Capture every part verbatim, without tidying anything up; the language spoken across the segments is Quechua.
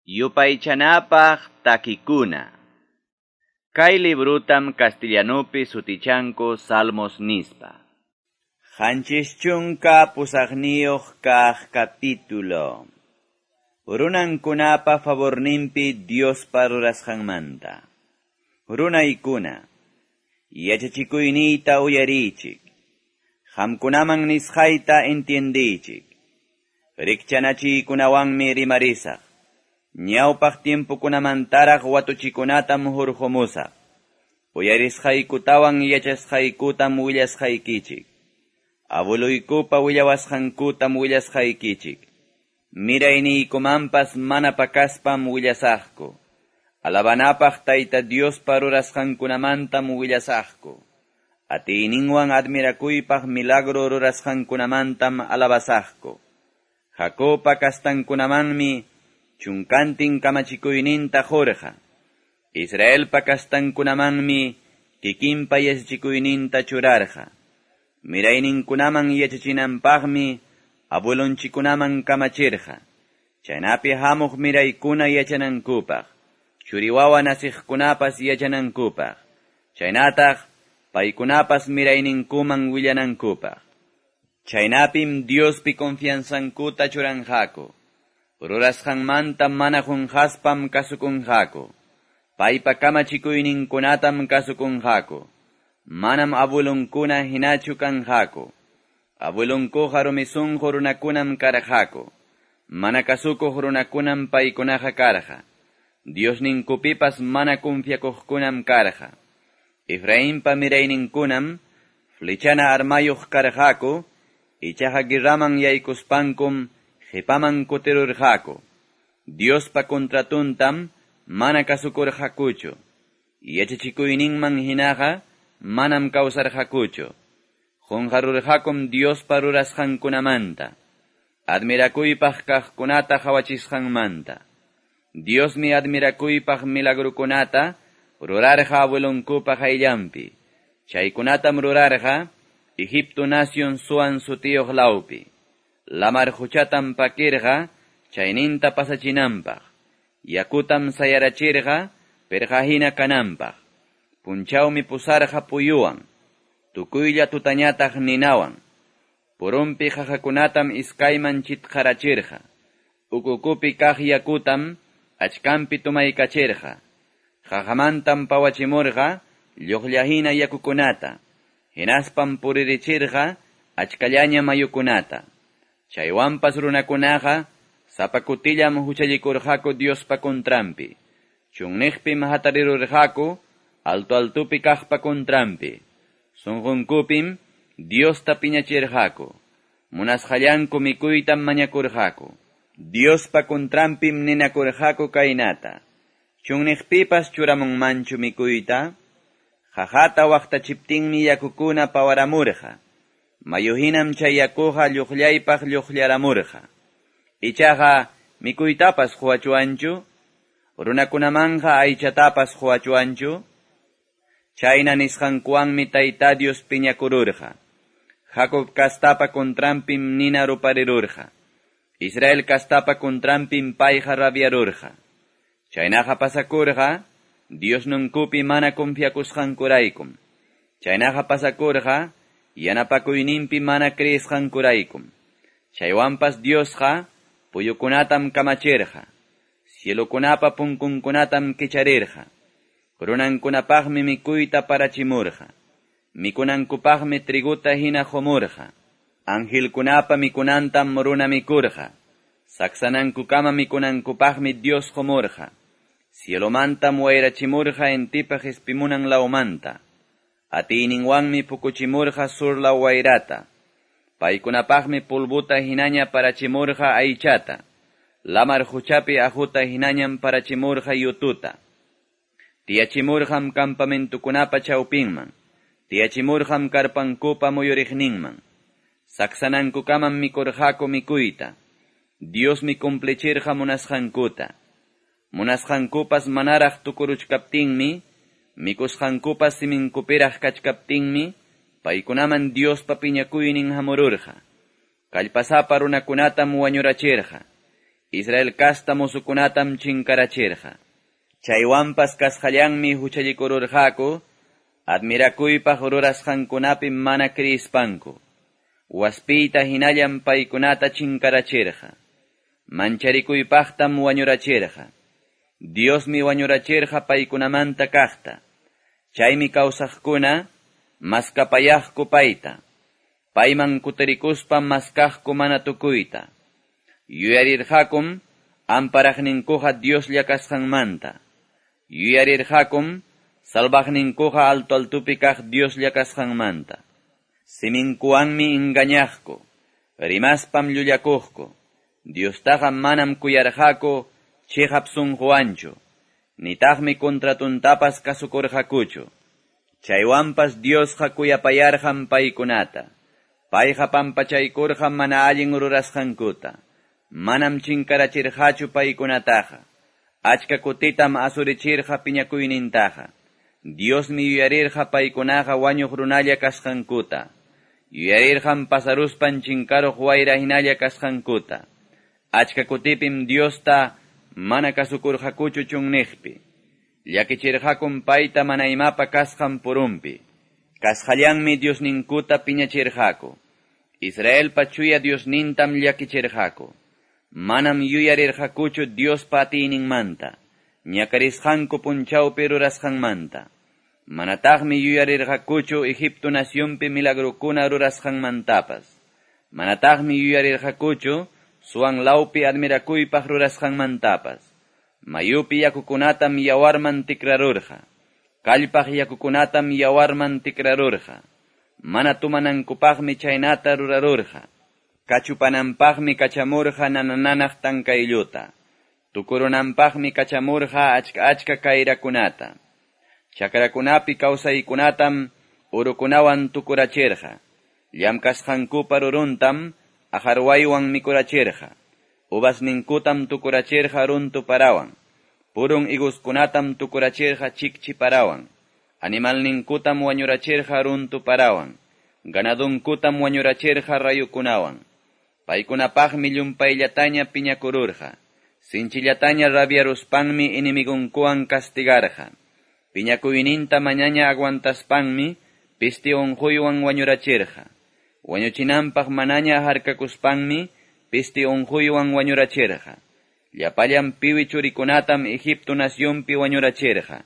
Yupaychanapaq takikuna. Kay librutam castellanupi sutichanku Salmos nispa. Qanchis chunka pusaqniyuq kaq capítulo. Runankunapa favorninpi Diospa rurasqanmanta. Runaykuna, yachachikuyniyta uyariychik. Qamkunaman nisqayta entiendiychik. Rikchanachiykunawanmi rimarisaq. Ñawpaq tiempokunamantaraq watuchikunatam hurqumusaq. Uyarisqaykutawan yachasqaykutam willasqaykichik. Abueluykupa willawasqankutam willasqaykichik. Mirayniykumanpas mana pakaspam willasaqku. Alabanapaq Tayta Diospa rurasqankunamantam willasaqku. Atiyninwan admirakuypaq milagro rurasqankunamantam alabasaqku. Jacobpa kastankunamanmi chunkantin kamachikuyninta qurqa. Israelpa kastankunamanmi kikinpa yachachikuyninta churarqa. Mirayninkunaman yachachinanpaqmi abuelonchikunaman kamachirqa. Chaynapi hamuq miraykuna yachanankupaq, churiwawa nasiqkunapas yachanankupaq, chaynataq paykunapas mirayninkuman willanankupaq. Chaynapim Diospi confianzankuta churanqaku. Rurasqanmanta mana qunqaspam kasukunqaku. Paypa kamachikuyninkunatam kasukunqaku. Manam abuelonkuna hinachu kanqaku. Abuelonkuqa rumi sunqu runakunam karqaku. Mana kasukuq runakunam paykunaqa karqa. Diosninkupipas mana confiakuqkunam karqa. Efrainpa mirayninkunam flechana armayuq karqaku, ichaqa guerraman yaykuspankum qipaman kutirurqaku. Diospa contratuntam mana kasukurqakuchu. Yachachikuyninman hinaqa manam kawsarqakuchu. Qunqarurqakum Diospa rurasqankunamanta. Admirakuypaq kaqkunata qhawachisqanmanta. Diosmi admirakuypaq milagrukunata rurarqa abuelonkupa qayllanpi. Chaykunatam rurarqa Egipto nación Zoan sutiyuq lawpi. Lamar quchatam pakirqa chayninta pasachinanpaq. Yakutam sayarachirqa pirqahina kananpaq. Punchawmi pusarqa puyuwan, tukuylla tutañataq ninawan. Purunpi qaqakunatam iskayman chitqarachirqa. Ukukupi kaq yakutam achkanpi tumaykachirqa. Qaqamantam pawachimurqa lluqllahina yakukunata. Hinaspam puririchirqa achkallaña mayukunata. Chaywanpas runakunaqa sapa kutillam huchallikurqaku Diospa contranpi. Chunniqpim hatarirurqaku alto altupi kaqpa contranpi. Sunqunkupim Diosta piñachirqaku. Munasqallanku mikuytam mañakurqaku. Diospa contranpim ninakurqaku kaynata. Chunniqpipas churamunmanchu mikuyta. Qaqata waqtachiptinmi yakukuna pawaramurqa. Mayuhinam chay yakuqa lluqllaypaq lluqllaramurqa. Ichaqa mikuytapas quwachuwanchu, runakunamanqa aychatapas quwachuwanchu. Chayna nisqankuwanmi Tayta Dios piñakururqa. Jacob kastapa contranpim nina ruparirurqa. Israel kastapa contranpim payqa rabiarurqa. Chaynaqa pasakurqa Diosninkupi mana confiakusqankuraykum. Chaynaqa pasakurqa yanapakuyninpi mana creesqankuraykum. Chaywanpas Diosqa puyukunatam kamachirqa. Cielokunapa punkunkunatam kicharirqa. Runankunapaqmi mikuyta parachimurqa. Mikunankupaqmi triguta hina qumurqa. Angelkunapa mikunantam runa mikurqa. Saksanankukama mikunankupaqmi Dios qumurqa. Cielomantam wayrachimurqa intipa qispimunan lawmanta. Atiyninwanmi pukuchimurqa sur law wayrata. Paykunapaqmi pulbuta hinaña parachimurqa aychata. Lamar quchapi aquta hinañam parachimurqa yututa. Tiyachimurqam campamentukunapa chawpinman. Tiyachimurqam karpankupa muyuriqninman. Saksanankukamam mikurqaku mikuyta. Diosmi cumplichirqa munasqankuta. Munasqankupas manaraq tukuruchkaptinmi, mikusqankupas siminkupiraq kachkaptinmi, paykunaman Diospa piñakuynin hamururqa. Kallpasapa runakunatam wañurachirqa. Israel kasta musukunatam chinkarachirqa. Chaywanpas kasqallanmi huchallikururqaku, admirakuypaq rurasqankunapi mana kriispanku. Waspiyta hinallam paykunata chinkarachirqa. Mancharikuypaqtam wañurachirqa. Diosmi wañurachirqa paykunamanta kaqta. Chaymi kawsaqkuna maskapayaqku payta. Payman kutirikuspa maskaqku mana tukuyta. Yuyarirqakum amparaqninkuqa Dioslla kasqanmanta. Yuyarirqakum salvaqninkuqa alto altupi kaq Dioslla kasqanmanta. Siminkuwanmi engañaqku, rimaspam llullakuqku. Diostaqa manam kuyarqaku chiqap sunquwanchu, nitaqmi contratuntapas kasukurqakuchu. Chaywanpas Diosqa kuyapayarqam paykunata. Payqa pampachaykurqam mana allin rurasqankuta. Manam chinkarachirqachu paykunataqa. Achka kutitam asurichirqa piñakuynintaqa. Diosmi yuyarirqa paykunaqa wañuq runalla kasqankuta. Yuyarirqam pasaruspan chinkaruq wayra hinalla kasqankuta. Achka kutipim Diosta mana kasukurqakuchu chunniqpi. Llakichirqakum payta mana imapa kasqan purumpi. Kasqallanmi Diosninkuta piñachirqaku. Israelpa chuya Diosnintam llakichirqaku. Manam yuyarirqakuchu Diospa atiyninmanta, ñakarisqanku punchawpi rurasqanmanta. Manataqmi yuyarirqakuchu Egipto nacionpi milagrokuna rurasqanmantapas. Manataqmi yuyarirqakuchu Suan lawpi admirakuypaq rurasqanmantapas. Mayupi yakukunatam yawarman tikrarurqa. Kallpaq yakukunatam yawarman tikrarurqa. Mana tumanankupaqmi chaynata rurarurqa. Kachupananpaqmi kachamurqa nanananaq tankaylluta. Tukurunanpaqmi kachamurqa achka achka kayrakunata. Chakrakunapi kawsaykunatam urukunawan tukurachirqa. Llamkasqankupa ruruntam ajarwaywan mikurachirqa. Uvasninkutam tukurachirqa runtu parawan. Purun higoskunatam tukurachirqa chikchi parawan. Animalninkutam wañurachirqa runtu parawan. Ganadunkutam wañurachirqa rayukunawan. Paykunapaqmi llumpayllataña piñakururqa. Sinchillataña rabiaruspanmi enemigunkuwan castigarqa. Piñakuyninta mañaña aguantaspanmi pisti unquywan wañurachirqa. Wañuchinanpaq manaña harkakuspanmi pisti unquywan wañurachirqa. Llapallan piwi churikunatam Egipto nacionpi wañurachirqa.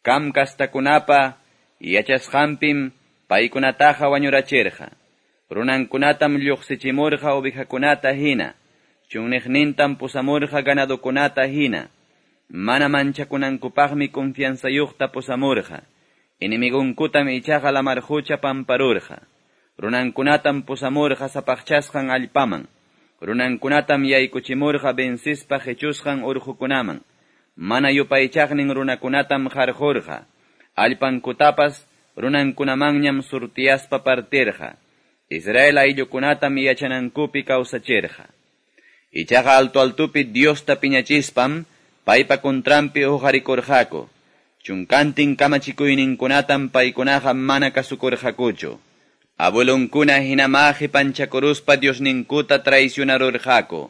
Kam kastakunapa yachasqanpim paykunataqa wañurachirqa. Runankunatam lluqsichimurqa ovejakunata hina. Chunniqnintam pusamurqa ganadukunata hina. Mana manchakunankupaqmi confianzayuqta pusamurqa. Enemigunkutam ichaqa lamar qucha pamparurqa. Runankunatam pusamurqa sapaqchasqan allpaman. Runankunatam yaykuchimurqa vencispa qechusqan urqukunaman. Mana yupaychaqnin runakunatam qarqurqa. Allpankutapas runankunamanñam surtiyaspa partirqa. Israel ayllukunatam yachanankupi kawsachirqa. Ichaqa alto altupi Diosta piñachispam paypa contranpi huqarikurqaku. Chunkantin kamachikuyninkunatam paykunaqa mana kasukurqakuchu. Abuelonkuna hinama qipanchakuruspa Diosninkuta traicionarurqaku.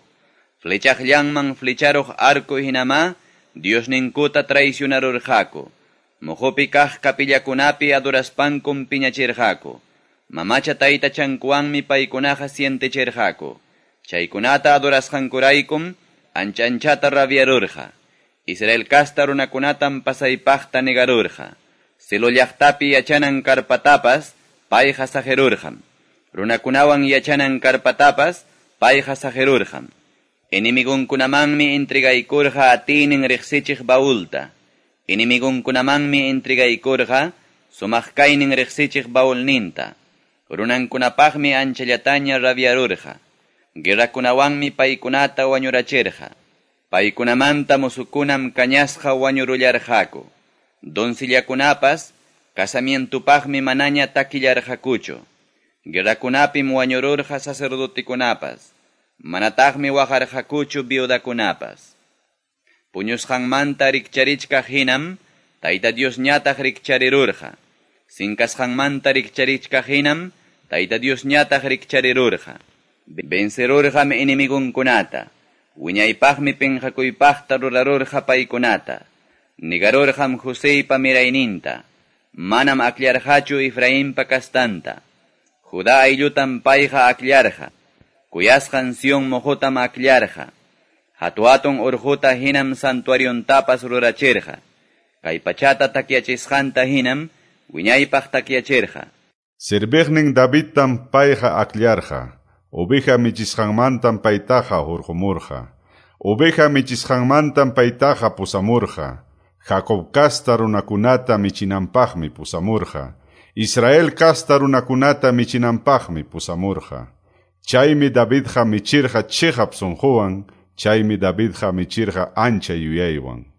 Flechaqllanman flecharuq arco hinama Diosninkuta traicionarurqaku. Muhupi kaq kapillakunapi adoraspankum piñachirqaku. Mamacha taytachankuwanmi paykunaqa sientechirqaku. Chaykunata adorasqankuraykum ancha anchata rabiarurqa. Israel kasta runakunatam pasaypaqta negarurqa. Silo llaqtapi yachanan karpatapas payqa saqirurqam. Runakunawan yachanan karpatapas payqa saqirurqam. Enemigunkunamanmi entregaykurqa atiynin riqsichiq baulta. Enemigunkunamanmi entregaykurqa sumaq kaynin riqsichiq baulninta. Runankunapaqmi anchallataña rabiarurqa. Guerrakunawanmi paykunata wañurachirqa. Paykunamanta musukunam kañasqa wañurullarqaku. Doncillakunapas casamientupaqmi manaña takillarqakuchu. Guerrakunapim wañururqa sacerdotikunapas. Manataqmi waqarqakuchu viudakunapas. Puñusqanmanta rikcharichkaq hinam, Tayta Diosñataq rikcharirurqa. Sinkasqanmanta rikcharichkaq hinam, Tayta Diosñataq rikcharirurqa. Vencerurqam enemigunkunata. Wiñaypaqmi pinqakuypaqta rurarurqa paykunata. Nigarurqam Joseypa mirayninta. Manam akllarqachu Efrainpa kastanta. Judá ayllutam payqa akllarqa. Kuyasqan Sion moqotam akllarqa. Hatu-hatun urquta hinam santuariontapas rurachirqa. Kay pachata takyachisqanta hinam wiñaypaq takyachirqa. Serviqnin Davidtam payqa akllarqa. Oveja michisqanmantam paytaqa hurqumurqa. Oveja michisqanmantam paytaqa pusamurqa. Jacob kasta runakunata michinanpaqmi pusamurqa. Israel kasta runakunata michinanpaqmi pusamurqa. Chaymi Davidqa michirqa chiqap sunquwan, chaymi Davidqa michirqa ancha yuyaywan.